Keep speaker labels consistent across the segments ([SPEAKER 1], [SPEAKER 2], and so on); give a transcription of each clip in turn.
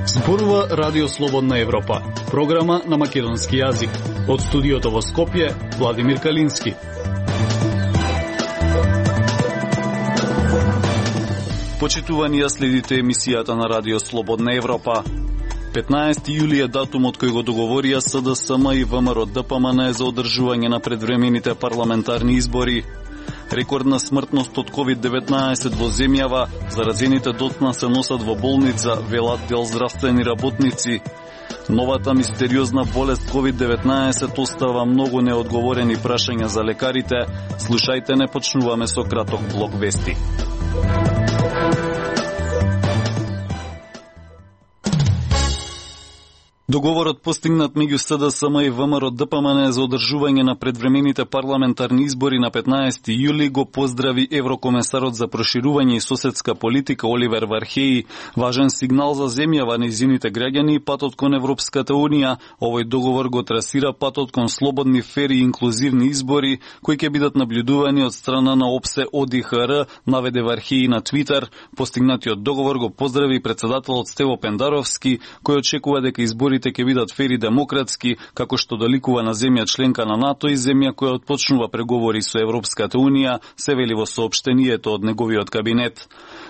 [SPEAKER 1] Зборува Радио Слободна Европа, програма на македонски јазик. Од студиото во Скопје, Владимир Калински. Почитувани, следите емисијата на Радио Слободна Европа. 15 јули е датумот кој го договорија СДСМ и ВМРО-ДПМН за одржување на предвремените парламентарни избори. Рекордна смртност од COVID-19 во земјава, заразените доцна се носат во болница, велат дел здравствени работници. Новата мистериозна болест COVID-19 остава многу неодговорени прашања за лекарите. Слушајте, не почнуваме со краток блок вести. Договорот постигнат меѓу СДСМ и ВМРО-ДПМН за одржување на предвремените парламентарни избори на 15 јули го поздрави еврокомесарот за проширување и соседска политика Оливер Вархеи. Важен сигнал за земјава, нејзините граѓани и патот кон Европската унија. Овој договор го трасира патот кон слободни, фери и инклузивни избори, кои ќе бидат наблюдувани од страна на ОПСЕ ОДИХР, наведе Вархеи на Твитер. Постигнатиот договор го поздрави председателот Стево Пендаровски, кој очекува дека изборите ќе бидат фери демократски, како што доликува на земја членка на НАТО и земја која отпочнува преговори со Европската унија, се вели во соопштението од неговиот кабинет.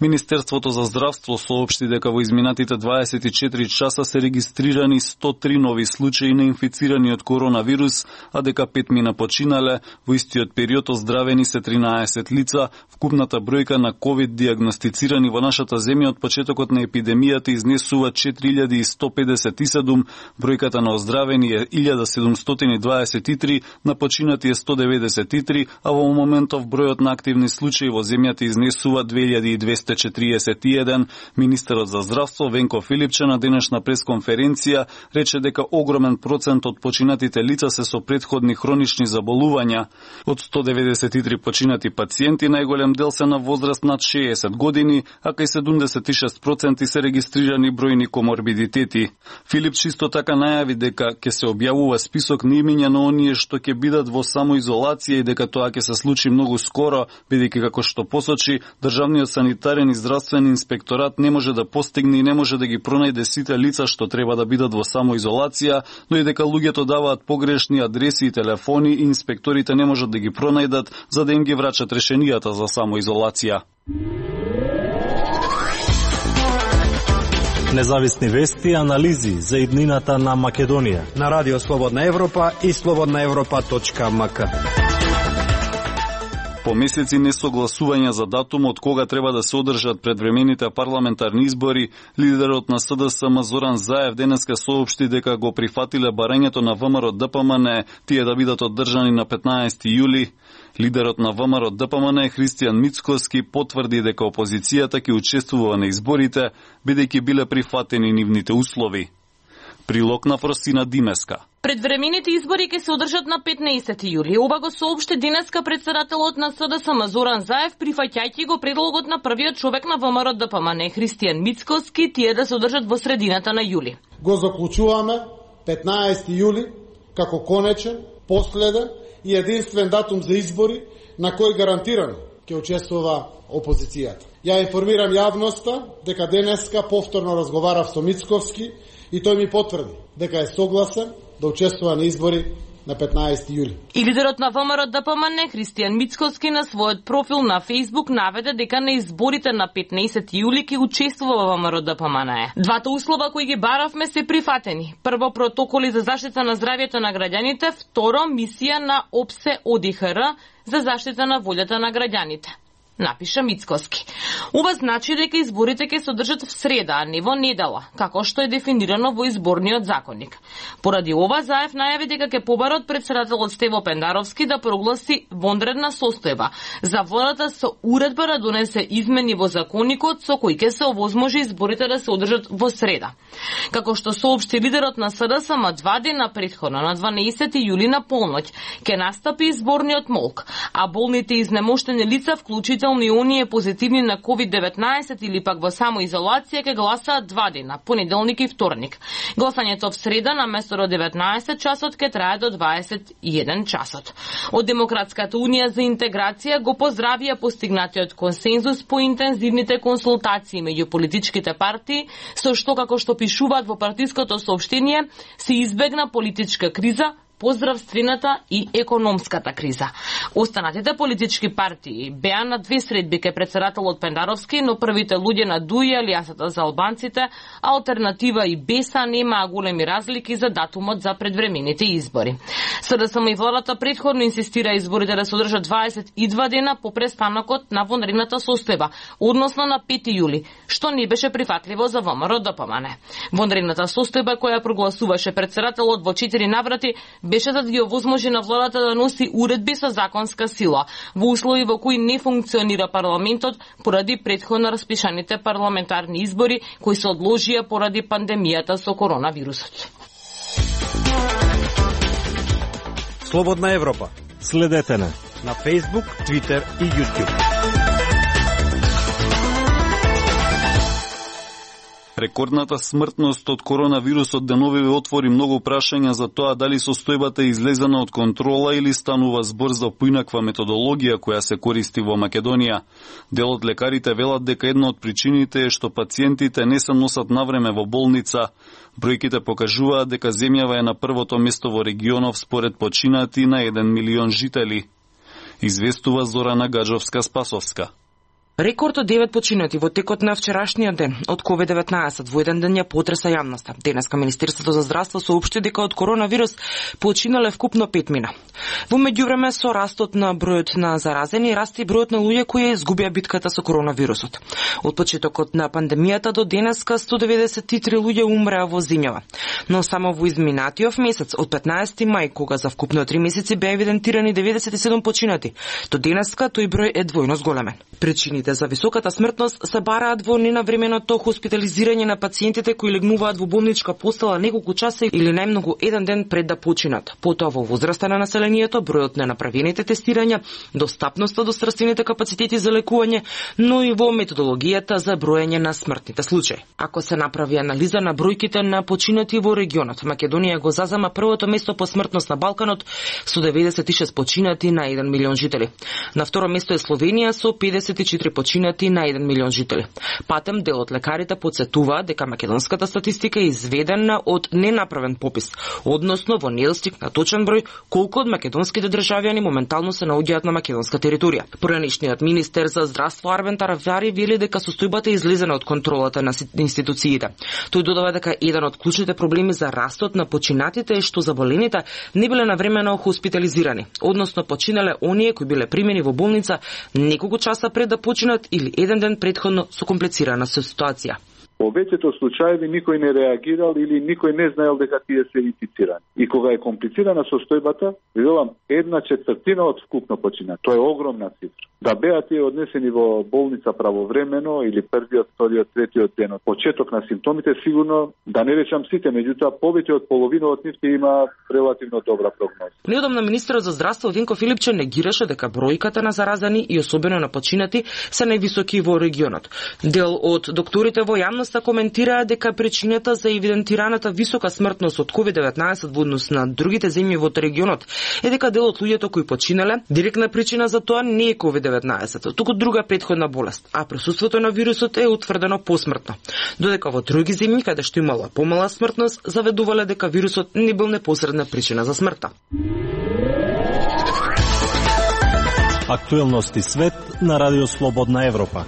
[SPEAKER 1] Министерството за здравство соопшти дека во изминатите 24 часа се регистрирани 103 нови случаи на инфицирани од коронавирус, а дека 5 мина починале. Во истиот период оздравени се 13 лица. Вкупната бројка на COVID диагностицирани во нашата земја од почетокот на епидемијата изнесува 4157, бројката на оздравени е 1723, на починати е 193, а во моментов бројот на активни случаи во земјата изнесува 2241. Министерот за здравство Венко Филипче на денешна пресконференција рече дека огромен процент од починатите лица се со претходни хронични заболувања. Од 193 починати пациенти, најголем дел се на возраст над 60 години, а кај 76% се регистрирани бројни коморбидитети. Филипче исто така најави дека ќе се објавува список на имиња на оние што ќе бидат во самоизолација и дека тоа ќе се случи многу скоро, бидејќи како што посочи, државниот санитарен и здравствен инспекторат не може да постигне и не може да ги пронајде сите лица што треба да бидат во самоизолација, но и дека луѓето даваат погрешни адреси и телефони и инспекторите не можат да ги пронајдат за да им ги врачат решенијата за самоизолација.
[SPEAKER 2] Независни вести и анализи за иднината на Македонија
[SPEAKER 3] на Радио Слободна Европа и slobodnaevropa.mk.
[SPEAKER 1] По месеци несогласување за датум од кога треба да се одржат предвремените парламентарни избори, лидерот на СДСМ Зоран Заев денеска соопшти дека го прифатиле барањето на ВМРО-ДПМН тие да бидат одржани на 15 јули. Лидерот на ВМРО-ДПМН Христијан Мицкоски потврди дека опозицијата ќе учествува на изборите, бидејќи биле прифатени нивните услови. Прилог на Фросина Димеска.
[SPEAKER 4] Предвремените избори ќе се одржат на 15 јули. Ова го соопшти денеска председателот на СДСМ Зоран Заев, прифаќајќи го предлогот на првиот човек на ВМРО-ДПМН Христијан Мицкоски тие да се одржат во средината на јули.
[SPEAKER 5] Го заклучуваме 15 јули како конечен, последен и единствен датум за избори на кој гарантирано ќе учествува опозицијата. Ја информирам јавноста дека денеска повторно разговарав со Мицковски и тој ми потврди дека е согласен да учествува на избори на 15 јули.
[SPEAKER 4] И лидерот на ВМРО-ДПМН Христијан Мицкоски на својот профил на Facebook наведе дека на изборите на 15 јули ќе учествува во ВМРО-ДПМН. Двата услова кои ги баравме се прифатени. Прво, протоколи за заштита на здравјето на граѓаните, второ, мисија на ОПСЕ ОДИХР за заштита на волјата на граѓаните, напиша Мицкоски. Ова значи дека изборите ќе се одржат в среда, а не во недела, како што е дефинирано во изборниот законник. Поради ова, Заев најави дека ќе побара од председателот Стево Пендаровски да прогласи вонредна состојба за водата со уредба да донесе измени во законникот со кои ќе се овозможи изборите да се одржат во среда. Како што соопшти лидерот на СДСМ 2 дена претходно, на 12 јули на полноќ, ќе настапи изборниот молк, а болните изнемоштени лица, вклучително вклучително и оние позитивни на COVID-19 или пак во самоизолација, ќе гласаат 2 дена, понеделник и вторник. Гласањето в среда на место до 19 часот ќе трае до 21 часот. Од Демократската унија за интеграција го поздравија постигнатиот консензус по интензивните консултации меѓу политичките партии, со што, како што пишуваат во партиското соопштение, се избегна политичка криза, поздравствената и економската криза. Останатите политички партии беа на 2 средби ке претседателот Пендаровски, но првите луѓе на ДУИ, Алијансата за албанците, Алтернатива и БЕСА немаа големи разлики за датумот за предвремените избори. СДСМ и владата претходно инсистира изборите да се одржат 22 дена по престанокот на вонредната состојба, односно на 5 јули, што не беше прифатливо за ВМРО-ДПМН. Вонредната состојба која прогласуваше претседателот во 4 наврати беше да ги овозможи на владата да носи уредби со законска сила, во услови во кои не функционира парламентот поради претходно распишаните парламентарни избори кои се одложија поради пандемијата со коронавирусот.
[SPEAKER 3] Слободна Европа.
[SPEAKER 2] Следете на
[SPEAKER 3] Facebook, Twitter и YouTube.
[SPEAKER 1] Рекордната смртност од коронавирусот деновиве отвори многу прашања за тоа дали состојбата е излезена од контрола или станува збор за поинаква методологија која се користи во Македонија. Дел од лекарите велат дека една од причините е што пациентите не се носат навреме во болница. Бројките покажуваат дека земјава е на првото место во регионов според починати на 1 милион жители. Известува Зорана Гаджовска-Спасовска.
[SPEAKER 6] Рекорд од 9 починати во текот на вчерашниот ден од COVID-19 во еден ден ја потреса јавноста. Денеска Министерството за здравство соопшти дека од коронавирус починале вкупно 5 мина. Во меѓувреме со растот на бројот на заразени расте бројот на луѓе кои изгубија битката со коронавирусот. Од почетокот на пандемијата до денеска 193 луѓе умреа во земјава. Но само во изминатиот месец од 15 мај, кога за вкупно 3 месеци беа евидентирани 97 починати, до денеска тој број е двојно зголемен. Причините за високата смртност се бараат во ненавременото хоспитализирање на пациентите кои легнуваат во болничка постела неколку часа или најмногу еден ден пред да починат. Потоа во возраста на населението, бројот на направените тестирања, достапноста до здравствените капацитети за лекување, но и во методологијата за броење на смртните случаи. Ако се направи анализа на бројките на починати во регионот, Македонија го зазема првото место по смртност на Балканот со 96 починати на 1 милион жители. На второ место е Словенија со 54 починати на 1 милион жители. Патем дел од лекарите потсетуваат дека македонската статистика е изведена од ненаправен попис, односно во недостиг на точен број колку од македонските државјани моментално се наоѓаат на македонска територија. Поранешниот министер за здравство Арвен Таравјари вели дека состојбата е излезена од контролата на институциите. Тој додава дека еден од клучните проблеми за растот на починатите е што заболените не биле навремено хоспитализирани, односно починале оние кои биле примени во болница неколку часа пред да починат или еден ден претходно со комплицирана ситуација.
[SPEAKER 7] Во веќето случаеви никој не реагирал или никој не знаел дека тие се инфицирани. И кога е комплицирана состојбата, велам 1/4 од вкупно почина. Тоа е огромна цифра. Да беа тие однесени во болница правовремено или првиот, вториот, третиот ден од почеток на симптомите, сигурно да не речам сите, меѓутоа повеќе од половина од нив има релативно добра прогноза.
[SPEAKER 6] Неодамна министерот за здравство Винко Филипче негираше дека бројката на заразени и особено на починати се највисоки во регионот. Дел од докторите во јавност коментираа дека причината за евидентираната висока смртност од COVID-19 во однос на другите земји во регионот е дека дел од луѓето кои починале, директна причина за тоа не е COVID-19, туку друга претходна болест, а присуството на вирусот е утврдено посмртно. Додека во други земји каде што имала помала смртност, заведувале дека вирусот не бил непосредна причина за смртта.
[SPEAKER 2] Актуелности свет на Радио Слободна Европа.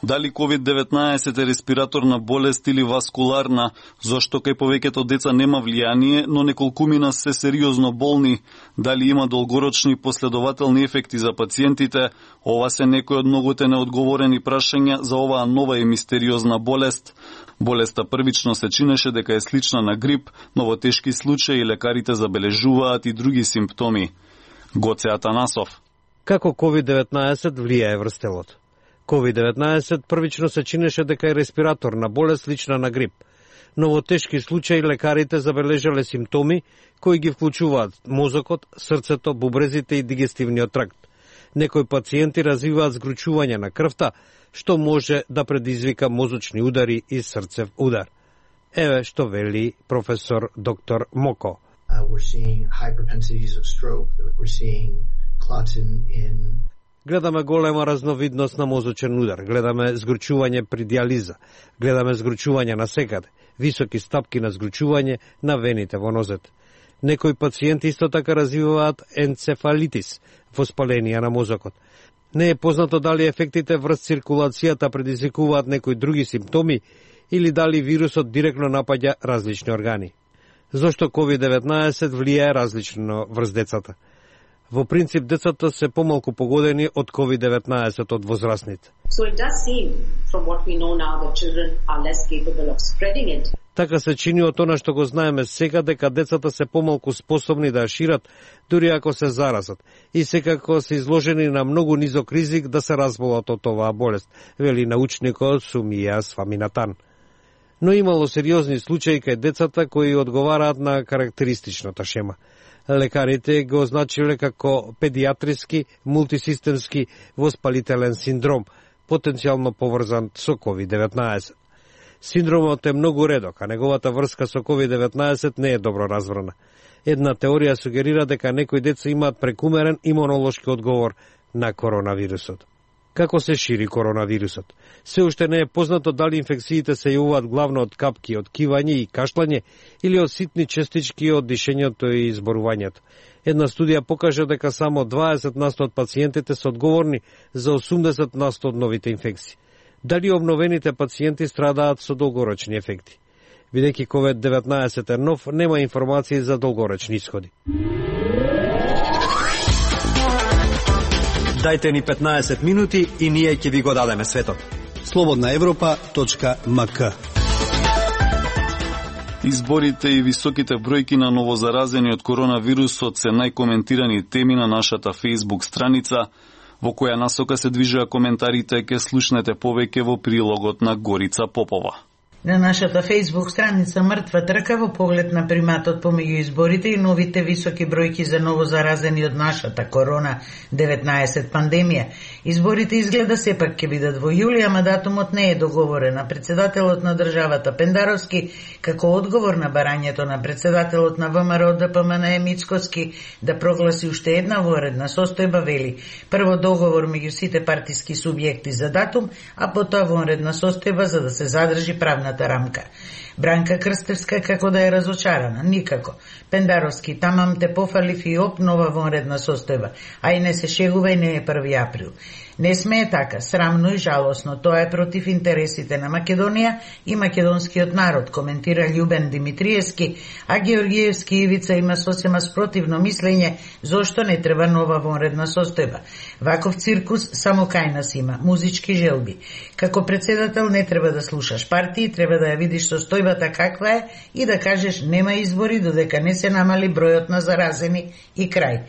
[SPEAKER 1] Дали COVID-19 е респираторна болест или васкуларна, зошто кај повеќето деца нема влијание, но неколкумина се сериозно болни, дали има долгорочни последователни ефекти за пациентите, ова се некои од многуте неодговорени прашања за оваа нова и мистериозна болест. Болеста првично се чинеше дека е слична на грип, но во тешки случаи лекарите забележуваат и други симптоми. Гоце Атанасов.
[SPEAKER 3] Како COVID-19 влијае врз телото? COVID-19 првично се чинеше дека е респираторна болест слична на грип, но во тешки случаи лекарите забележале симптоми кои ги вклучуваат мозокот, срцето, бубрезите и дигестивниот тракт. Некои пациенти развиваат згручување на крвта, што може да предизвика мозочни удари и срцев удар. Еве што вели професор доктор Моко.
[SPEAKER 8] We're seeing high propensities of stroke. We're seeing clots in
[SPEAKER 3] Гледаме голема разновидност на мозочен удар, гледаме згручување при диализа, гледаме згручување на секаде, високи стапки на згручување на вените во нозет. Некои пациенти исто така развиваат енцефалитис, воспаление на мозокот. Не е познато дали ефектите врз циркулацијата предизвикуваат некои други симптоми или дали вирусот директно напаѓа различни органи. Зошто COVID-19 влијае различно врз децата? Во принцип, децата се помалку погодени од COVID-19 од возрастните.
[SPEAKER 9] So it does seem, from what we know now, that children are less capable of spreading it.
[SPEAKER 3] Така се чини од она што го знаеме сега, дека децата се помалку способни да ја шират, дури ако се заразат, и секако се изложени на многу низок ризик да се разболат од оваа болест, вели научникот Сумија Сваминатан. Но имало сериозни случаи кај децата кои одговараат на карактеристичната шема. Лекарите го означиле како педиатриски мултисистемски воспалителен синдром, потенцијално поврзан со COVID-19. Синдромот е многу редок, а неговата врска со COVID-19 не е добро разбрана. Една теорија сугерира дека некои деца имаат прекумерен имунолошки одговор на коронавирусот. Како се шири коронавирусот? Се уште не е познато дали инфекциите се јавуваат главно од капки, од кивање и кашлање или од ситни честички од дишењето и изборувањето. Една студија покажа дека само 20% од пациентите се одговорни за 80% од новите инфекции. Дали обновените пациенти страдаат со долгорочни ефекти? Бидејќи COVID-19 е нов, нема информации за долгорочни исходи.
[SPEAKER 10] Дајте ни 15 минути и ние ќе ви го дадеме светот. slobodnaevropa.mk.
[SPEAKER 1] Изборите и високите бројки на новозаразени од коронавирусот се најкоментирани теми на нашата Facebook страница, во која насока се движува коментарите, ќе слушнете повеќе во прилогот на Горица Попова.
[SPEAKER 11] На нашата Facebook страница Мртва трка во поглед на приматот помеѓу изборите и новите високи бројки за новозаразени од нашата корона-19 пандемија. Изборите изгледа сепак ќе бидат во јули, ама датумот не е договорен. Председателот на државата Пендаровски, како одговор на барањето на председателот на ВМРО ДПМН Мицкоски да прогласи уште една воредна состојба, вели: прво договор меѓу сите партиски субјекти за датум, а потоа вонредна состојба за да се задржи правната рамка. Бранка Крстевска како да е разочарана? Никако. Пендаровски: тамам те пофалив и оп нова вонредна состојба. А и не се шегува и не е 1 април. Не смее така, срамно и жалосно. Тоа е против интересите на Македонија и македонскиот народ, коментира Љубен Димитриевски, а Георгиевски Ивица има сосема спротивно мислење зошто не треба нова вонредна состојба. Ваков циркус само кај нас има, музички желби. Како председател не треба да слушаш партии, треба да ја видиш состојбата каква е и да кажеш нема избори додека не се намали бројот на заразени и крај.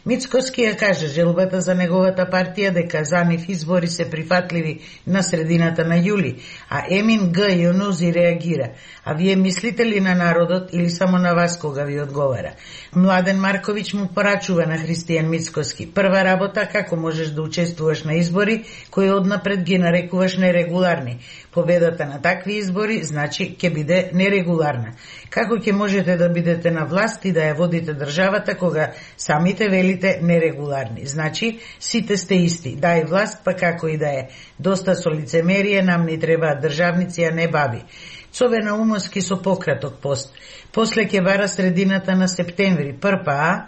[SPEAKER 11] Мицкоски ја кажа желбата за неговата партија дека за нив избори се прифатливи на средината на јули, а Емин Г. Јонузи реагира: а вие мислите ли на народот или само на вас кога ви одговара? Младен Марковиќ му порачува на Христијан Мицкоски: прва работа, како можеш да учествуваш на избори кои однапред ги нарекуваш нерегуларни? Победата на такви избори значи ќе биде нерегуларна. Како ќе можете да бидете на власт и да ја водите државата кога самите велите нерегуларни? Значи сите сте исти, дај власт па како и да е. Доста со лицемерие, нам не требаат државници, а не баби. Цове Наумовски со пократок пост. После ќе бара средината на септември. ПРПА.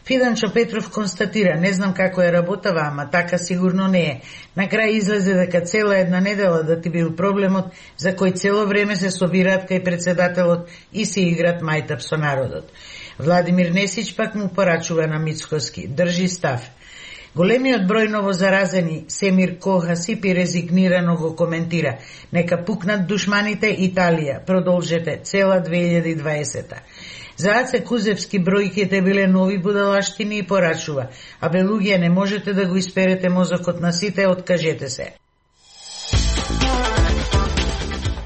[SPEAKER 11] Фиданчо Петров констатира: не знам како е работава, ама така сигурно не е. На крај излезе дека цела една недела да ти бил проблемот за кој цело време се собираат кај председателот и се играт мајтап со народот. Владимир Несич пак му порачува на Мицкоски: држи став. Големиот број новозаразени Семир Кохасипи резигнирано го коментира: нека пукнат душманите, Италија, продолжете цела 2020. За Аце Кузевски бројките биле нови будалаштини и порачува: а бе луѓе, не можете да го исперете мозокот на сите, откажете се.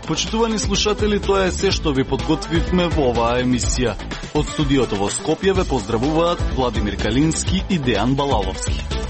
[SPEAKER 1] Почитувани слушатели, тоа е се што ви подготвивме во оваа емисија. Од студиото во Скопје ве поздравуваат Владимир Калински и Дејан Балаловски.